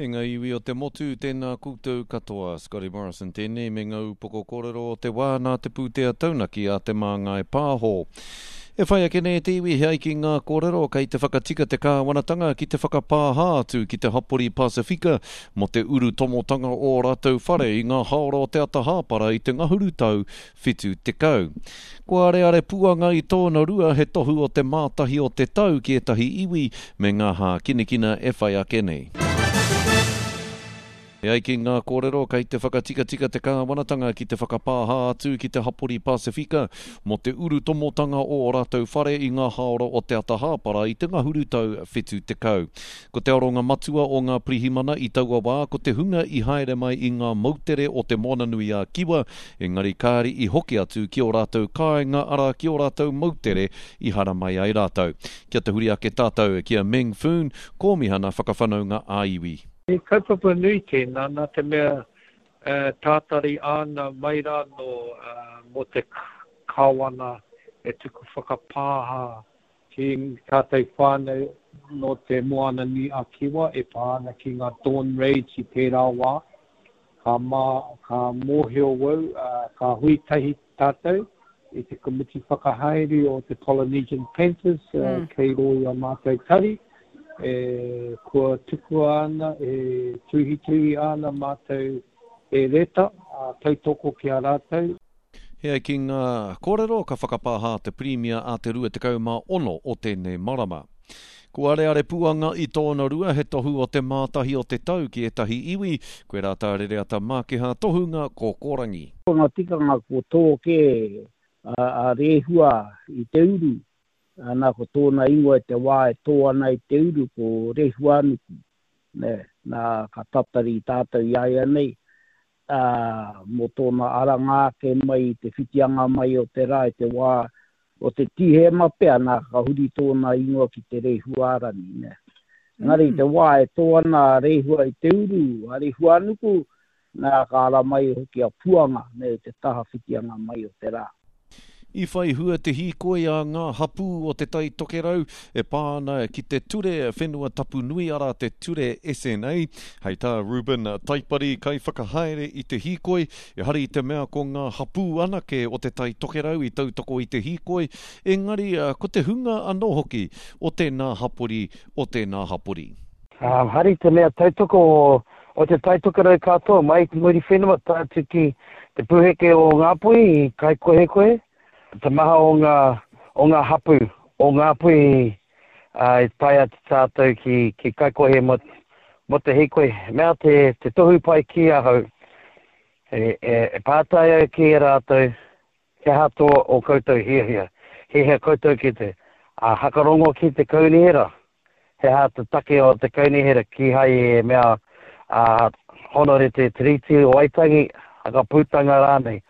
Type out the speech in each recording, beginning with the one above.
E ngā iwi o te motu, tēnā koutou katoa. Scotty Morrison tēnei me ngā upoko kōrero o te wā nā te pūtea taunaki a Te Māngai Pāho. E whai ake nei te iwi he ai ki ngā kōrero kei te whakatika te kāwanatanga ki te whakapāha atu ki te hapori Pasifika mō te urutomotanga o ō rātou whare i ngā haora o te ata hāpara i te ngahuru tau 70. Kua areare puanga i tōna rua he tohu o te mātahi o te tau ki ētahi iwi me ngā hākinakina e whai ake nei. E ai ki ngā kōrero, kei te whakatikatika te kāwanatanga ki te whakapāha atu ki te hapori Pasifika mō te urutomotanga o ō rātou whare i ngā haora o te ata hāpara i te ngahuru tau 70. Ko te aronga matua o ngā pirihimana i taua wā ko te hunga i haere mai i ngā moutere o Te Moananui-a-Kiwa, engari kāri i hoki atu ki ō rātou kāinga arā ki ō rātou moutere i haramai ai rātou. Kia tahuri ake tātou ki a Meng Foon, Kōmihana Whakawhanaunga ā-Iwi. He kaupapa nui tēnā, nā te mea tātari āna mai rā nō mō te Kāwana e tuku whakapāha Ki tātou whānau nō te Moana-nui-a-Kiwa e pā ana ki ngā dawn raids i tērā wā, ka mā, ka mōhio wau, ka hui tahi tātou i te komiti whakahaere o te Polynesian Panthers kei rō i a mātou tari, e, kua tukua ana, e tuhituhi ana mātou e reta, tautoko ki a rātou. He ai ki ngā kōrero, ka whakapāha te Pirimia a te 26 o tēnei marama. Kua areare puanga i tōna rua he tohu o te mātahi o te tau ki ētahi iwi, koirā tā Rereata Mākiha tohunga kōkōrangi. Ko ngā tikanga kua tō kē a Rehua i te uru, ana ko tōna ingoa i te wā e tō ana i te uru ko Rehuanuku, nē, nā ka tatari tātou i a ia nei, ā, mō tōna aranga ake mai i te whitianga mai o te rā i te wā o te Tīhema pea, nā, ka huri tōna ingoa ki te Rēhuarangi, nē. Engari i te wā e tō ana a Rēhua i te uru, a Rēhuanuku, nā, ka ara mai hoki a Puanga, nē, i te taha whitianga mai o te rā. I whai hua te hīkoi a ngā hapū o Te Tai Tokerau e pā ana ki te Ture Whenua Tapu Nui arā te Ture SNA. Hei tā Reuben Taipari, kaiwhakahaere i te hīkoi, ehara i te mea ko ngā hapū anake o Te Tai Tokerau i tautoko i te hīkoi, engari ko te hunga anō hoki o tēnā hapori, o tēnā hapori. Hari te mea tautoko o Te Tai Tokerau katoa mai i te Muriwhenua tae atu ki te pūheke o Ngāpuhi i Kaikohekohe, te maha o ngā, o ngā hapū o Ngāpuhi i tae atu tātou ki, ki Kaikohe mō, mō te hīkoi. Mea te, te tohu pai ki ahau, e, e, e pātai au ki a rātou, He aha tō o koutou hiahia? Hiahia koutou ki te, ā, hakarongo ki te kaunihera? He aha te take o te kaunihera kīhai e mea, ā, Honore te Tiriti o Waitangi, hakaputanga rānei?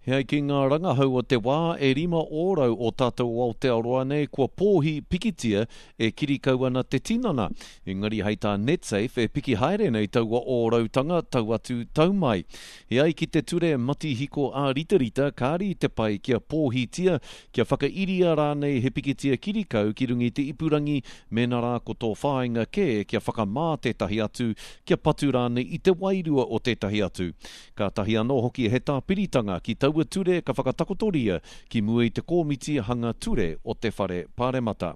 He ai ki ngā rangahau o te wā, e 5% o tātou o Aotearoa nei kua pōhi pikitia e kirikau ana te tinana. Engari hei tā Netsafe e piki haere nei taua ōrautanga tau atu tau mai. E ai ki te ture matihiko ā-ritarita, kāre i te pai kia pōhitia, kia whakairia rānei he pikitia kirikau ki runga i te ipurangi mēnā rā ko tō whāinga kē kia whakamā tētahi atu, kia patu rānei i te wairua o tētahi atu. Kātahi anō hoki he tāpiritanga ki taua ture ka whakatakotoria ki mua i te kōmiti hanga ture o te Whare Pāremata.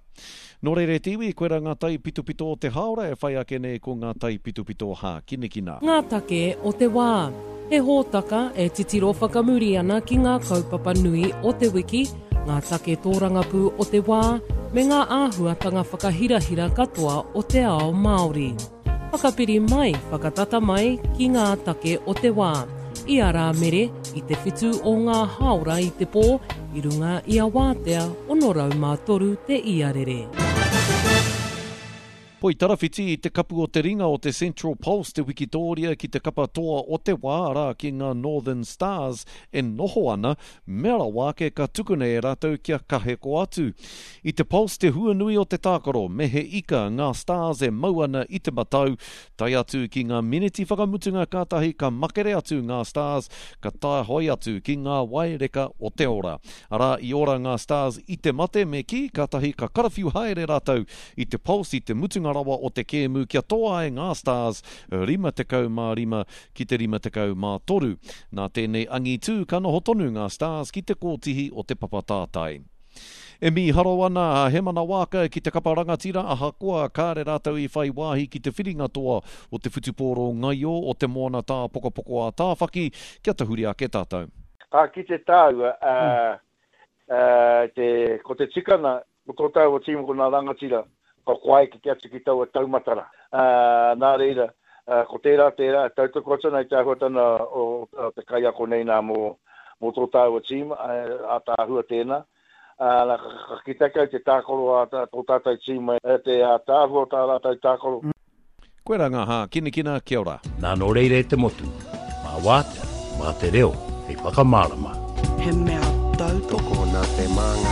Nō reira e te iwi, koirā ngā taipitopito o te hāora e whai ake nei ko ngā taipitopito hākinakina. Ngā take o te wā. He hōtaka e titiro whakamuri ana ki ngā kaupapa nui o te wiki, ngā take tōrangapū o te wā, me ngā āhuatanga whakahirahira katoa o te ao Māori. Whakapiri mai, whakatata mai ki ngā take o te wā. I a Rāmere, i te whitu o ngā hāora i te pō, i runga i a Wātea 603 te iarere. Poitarawhiti i te kapu o te ringa o te Central Pulse te wikitōria ki te kapa toa o te wā, arā, ki ngā Northern Stars e noho ana, mea rawa ake ka tukuna e rātou kia kaheko atu. I te Pulse te huanui o te tākaro, me he ika ngā Stars e mau ana i te matau, tae atu ki ngā miniti whakamutunga kātahi ka makere atu ngā Stars ka tāhoi atu ki ngā waereka o te ora. Arā, i ora ngā Stars i te mate me kī, kātahi ka karawhiu haere rātou i te Pulse i te mutunga. mutunga rawa o te kēmu kia toa ai ngā Stars 55 ki te 53. Nā tēnei angitū ka noho tonu ngā Stars ki te kōtihi o te papa tātai. E mīharo ana a Hemana Waaka ki te kapa rangatira ahakoa kāre rātou i whai wāhi ki te whiringa toa o te whutupōro ngaio o Te Moana Tāpokopoko-a-Tāwhaki kia tahuri ake tātou. Ka kite tāua, ā, ā, te, ko te tikanga, ko tō tāua tīma ko ngā rangatira, ka koa eke atu ki taua taumata rā. Ā, nā reira, ā, ko tērā tērā, e tautoko atu ana i te āhuatanga o, o te kaiako nei nā mō, mō tō tāua tīma, ā, ātaahua tēnā. Ā, nā, ka, ka kite ake au te tākaro a tō tātou tīma, te ātaahua o tā rātou tākaro. Koirā ngā hākinakina, kia ora. Nā nō reira e te motu, mā wātea, mā te reo hei whakamārama. He mea tautoko. Tokona te māngai.